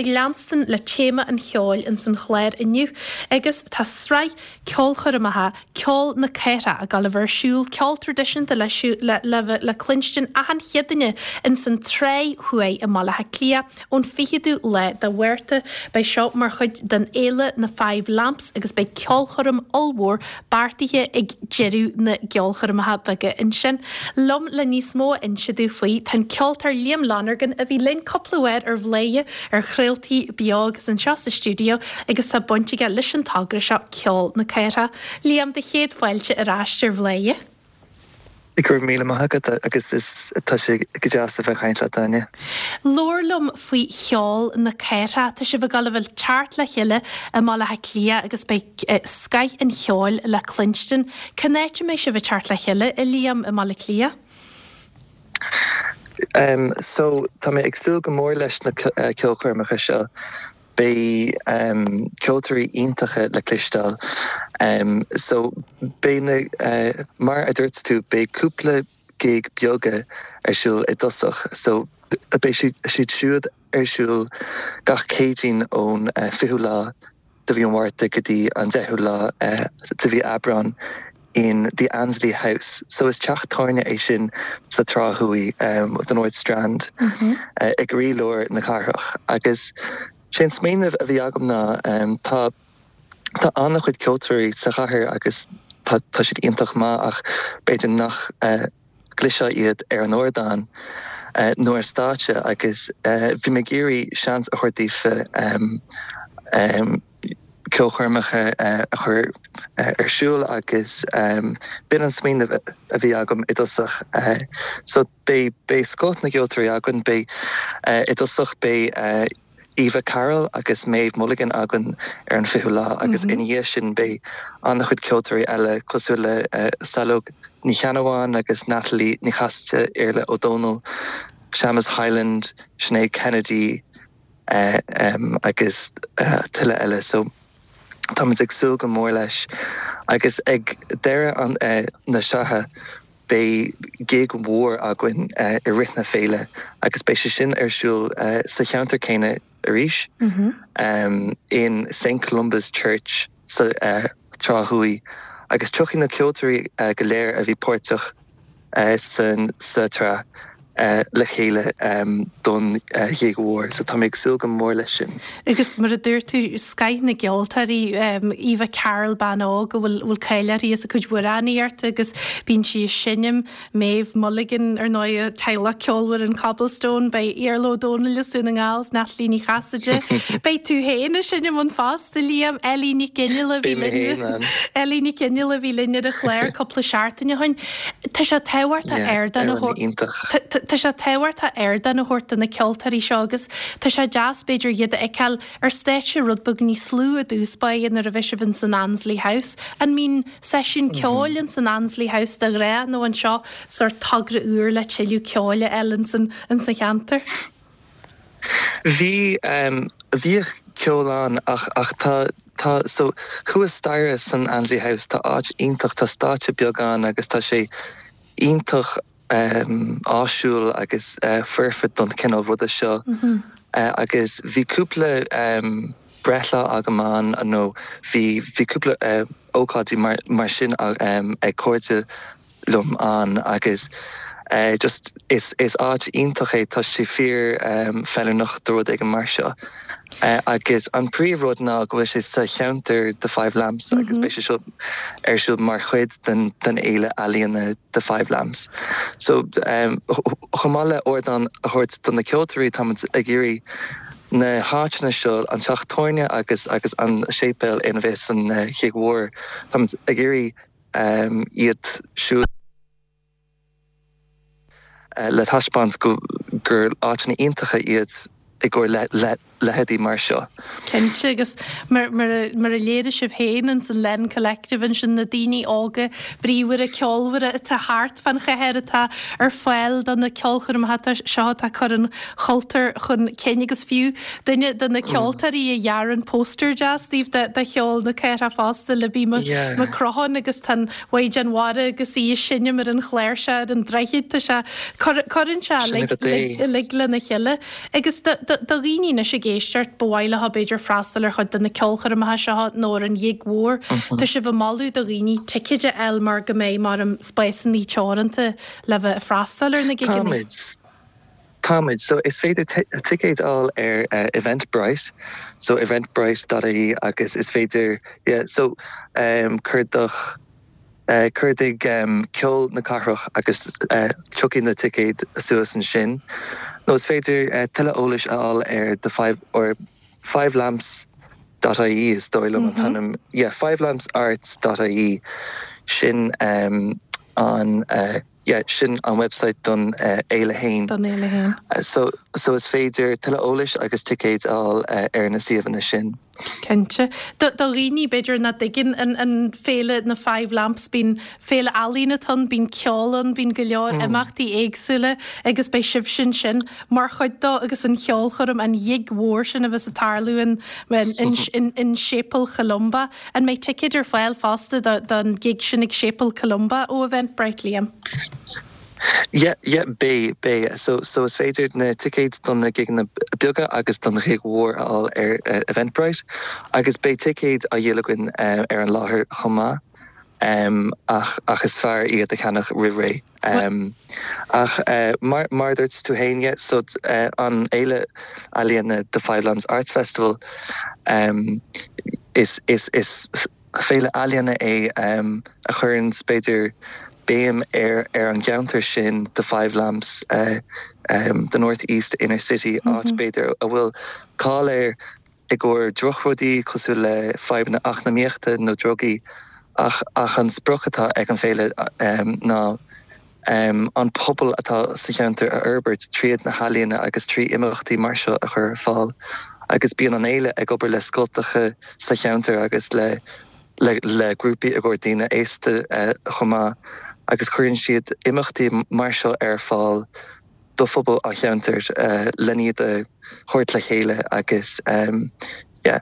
ag leanstan le téama an cheoil ins an chlár inniu agus tá sraith ceolchoirmeacha Ceol na Cathrach ag dul a bheith ar siúl, ceol traidisiúnta le le le cluinstin achan Chéadaoine ins an Tráigh Thuaidh i mBaile Átha Cliath ón 20ú lá de Mhárta. Beidh seo mar chuid den fhéile na Five Lamps agus beidh ceolchoirm ollmhór beartaithe ag deireadh na gceolchoirmeacha beaga ansin. Liom le níos mó a inse domh faoi tá an ceoltóir Liam Lonergan a bhí linn cúpla uair ar Bhladhaire ar chraoltaí beo agus anseo sa stiúideo agus tá baint aige leis an togra seo Ceol na Cathrach. Liam, do chéad fáilte ar ais ar Bhladhaire. Go raibh míle maith agat agus is tá sé go deas a bheith ag caint leat Áine. Labhair liom faoi Cheol na Cathrach. Tá sibh ag dul a bheith ag teacht le chéile i mBaile Átha Cliath agus beidh scoith an cheoil le cluinstin. Cén áit a mbeidh sibh ag teacht le chéile, a Liam, i mBaile Átha Cliath? So, tá mé ag súil go mór leis na ceolchoirmeacha seo. Beidh ceoltóirí iontacha le cloisteáil. So, beidh na, mar a dúirt tú, beidh cúpla gig beaga ar siúl i dtosach. So, beidh siad siúd ar siúl gach Céadaoin ón 20ú lá de mhí an Mhárta go dtí an 10ú lá de mhí Aibreán in The Annesley House. So is teach tábhairne é sin sa Trá Thuaidh, the North Strand, i gcroílár na cathrach. Agus sé an smaoineamh a bhí agam ná tá tá an-chuid ceoltóirí sa chathair agus tá tá siad iontach maith ach b'fhéidir nach gcloisfeá iad ar an ardán nó ar stáitse agus bhí mé ag iarraidh seans a thabhairt daofa ceolchoirmeacha a chur ar siúl agus b'in an smaoineamh a bhí agam i dtosach. So beidh beidh scoth na gceoltóirí againn, beidh i dtosach beidh Eva Carroll agus Maeve Mulligan againn ar an 20ú lá agus ina dhiaidh sin beidh an-chuid ceoltóirí eile cosúil le Saileog Ní Cheannabháin agus Natalie Ní Chasaide, Iarla Ó Dónaill, Séamus Hyland, Sinéad Kennedy agus tuilleadh eile. So táimid ag súil go mór leis agus ag deireadh na sraithe Beidh gig mhór againn i rith na féile agus beidh sé sin ar siúl sa cheantar céanna arís, in St Columba's Church sa Trá Thuaidh agus tiocfaidh na ceoltóirí go léir a bhí páirteach sa tsraith le chéile don ghig mhór so tá mé ag súil go mór leis sin. Agus mar a dúirt tú, scoith na gceoltóirí, Eva Carroll, bean óg a bhfuil cáil uirthi as a cuid amhránaíochta agus bíonn sí ag seinm, Maeve Mulligan, ar ndóigh, teaghlach ceolmhar an Cobblestone, beidh Iarla Ó Dónaill as Dún na nGall, 's Natalie Ní Chasaide, beidh tú féin ag seinm ann fosta, Liam, Ellie Nic Fhionnghaile a bhí linn, Ellie Nic Fhionnghaile a bhí linn ar an chlár cúpla seachtain ó shin. Tá sé tábhachtach ardán a thabhairt Tá sé tábhachtach ardán a thabhairt do na ceoltóirí seo agus tá sé deas b'fhéidir iad a fheiceáil ar stáitse rud beag níos lú i dtús báire nuair a bheidh sibh ins an Annesley House. An mbíonn seisiún ceoil ins an Annesley House de ghnáth nó an seo sórt togra úr le tuilleadh ceoil a fháil ins an cheantar? Bhí, bhíodh ceol ann ach, ach tá, tá, so thuas staighre san Annesley House tá áit iontach, tá stáitse beag ann agus tá sé iontach áisiúil agus foirfe don chineál ruda seo agus bhí cúpla breithlá agam ann nó bhí, bhí cúpla ócáidí mar, mar sin ag cairde liom ann agus just is is áit iontach é, tá sé fíor feiliúnach do rud éigin mar seo. Agus an príomh rud ná go bhfuil sé sa cheantar The Five Lamps agus beidh sé seo ar siúl mar chuid den den fhéile ealaíona The Five Lamps. So chomh maith le ardán a thabhairt do na ceoltóirí táimid ag iarraidh na háiteanna seo, an teach tábhairne agus agus an séipéal ina bheas an ghig mhór, táimid ag iarraidh iad siúd le taispeáint gur áiteanna iontacha iad i gcomhair leithéidí mar seo. Cinnte, agus mar a léirigh sibh féin ins an Len Collective ansin, na daoine óga bríomhara ceolmhara atá thart fán chathair atá ar fáil do na ceolchoirmeacha seo atá ag cur an chultúir chun cinn agus fiú duine de na ceoltóirí a dhear an póstaer deas daoibh de Cheol na Cathrach fosta, Libby Mac Crotháin agus tá an Mhaighdean Mhara agus í ag seinm ar an chláirseach ar an droichead, tá sé, cuireann sé uilig lena chéile. Agus do. Do dhaoine anois ag éisteacht, ba mhaith leo b'fhéidir freastal ar chuid de na ceolchoirmeacha seo nó ar an ghig mhór. Tá sibh ag moladh do dhaoine ticéid a fháil mar go mbeidh, mar spásanna teoranta le bheith ag freastal ar na gigeanna. Táimid. Táimid. So is féidir ticéid a fháil ar Eventbrite, so eventbrite dot ie agus is féidir, yeah, so cuardaigh, cuardaigh Ceol na Cathrach agus tiocfaidh na ticéid suas ansin. Nó is féidir tuilleadh eolais a fháil ar the five, or fivelamps dot ie is dóigh liom an t-ainm, yeah, fivelampsarts dot ie, sin an. Yeah, sin an website don fhéile fhéin. Don fhéile fhéin. So, so is féidir tuilleadh eolais agus ticéid a fháil ar na suíomhanna sin. Cinnte. Do, do dhaoine, b'fhéidir, nach dtuigeann an, an féile na Five Lamps, bíonn féile ealaíon atá ann, bíonn ceol ann, bíonn go leor imeachtaí éagsúla agus beidh sibhse ansin mar chuid dó agus an cheolchoirm, an ghig mhór sin a bheas ag tarlú in, in, in, in Séipéal Cholumba. An mbeidh ticéid ar fáil fosta don ghig sin ag Séipéal Columba ó Eventbrite, Liam? Yeah, yeah, beidh, beidh. So, so is féidir na ticéid don na gigeanna beaga agus don ghig mhór a fháil ar Eventbrite agus beidh ticéid á dhíol againn ar an láthair chomh maith ach, ach is fearr iad a cheannach roimh ré. Ach mar a dúirt tú féin, yeah, so an fhéile ealaíona The Five Lamps Arts Festival, is is féile ealaíona é a chuireann b'fhéidir béim ar ar an gceantar sin, The Five Lamps, the North East Inner City, áit b'fhéidir a bhfuil cáil air i gcomhair drochrudaí cosúil le fadhbanna eacnamaíochta nó drugaí ach ach an sprioc atá ag an bhféile ná an pobal atá sa cheantar a fhorbairt tríd na healaíona agus trí imeachtaí mar seo a chur ar fáil agus bíonn an fhéile ag obair le scoltacha sa cheantar agus le le le grúpaí i gcomhair daoine aosta chomh maith agus cuireann siad imeachtaí mar seo ar fáil do phobal an cheantair len iad a thabhairt le chéile agus yeah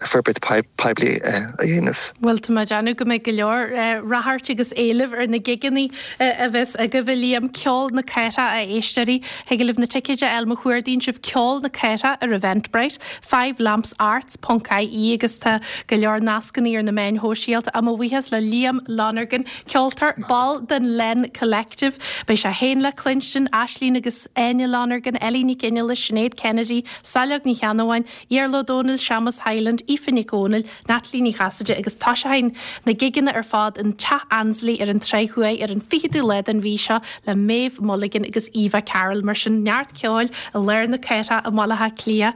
forbairt poiblí a dhéanamh. Bhuel, tá mé ag déanamh go mbeidh go leor ráchairt agus éileamh ar na gigeanna a bheas agaibh, a Liam. Ceol na Cathrach, a éisteoirí. Thig libh na ticéid a fháil má chuardaíonn sibh Ceol na Cathrach ar Eventbrite, fivelampsarts ponc ie agus tá go leor nascanna ar na meáin shóisialta. Mo bhuíochas le Liam Lonergan. Ceoltóir, ball den Len Collective. Beidh sé féin le cluinstin, Aislínn agus Áine Lonergan, Ellie Nic Fhionnghaile, Sinéad Kennedy, Saileog Ní Cheannabháin, Iarla Ó Dónaill, Séamus Hyland, Aoife Nic Dhomhnaill, Natalie Ní Chasaide agus toiseoidh na gigeanna ar fad in Teach Annesley ar an Tráigh Thuaidh ar an 20ú lá den mhí seo le Maeve Mulligan agus Eva Carroll. Mar sin, neart ceoil i lár na cathrach i mBaile Átha Cliath.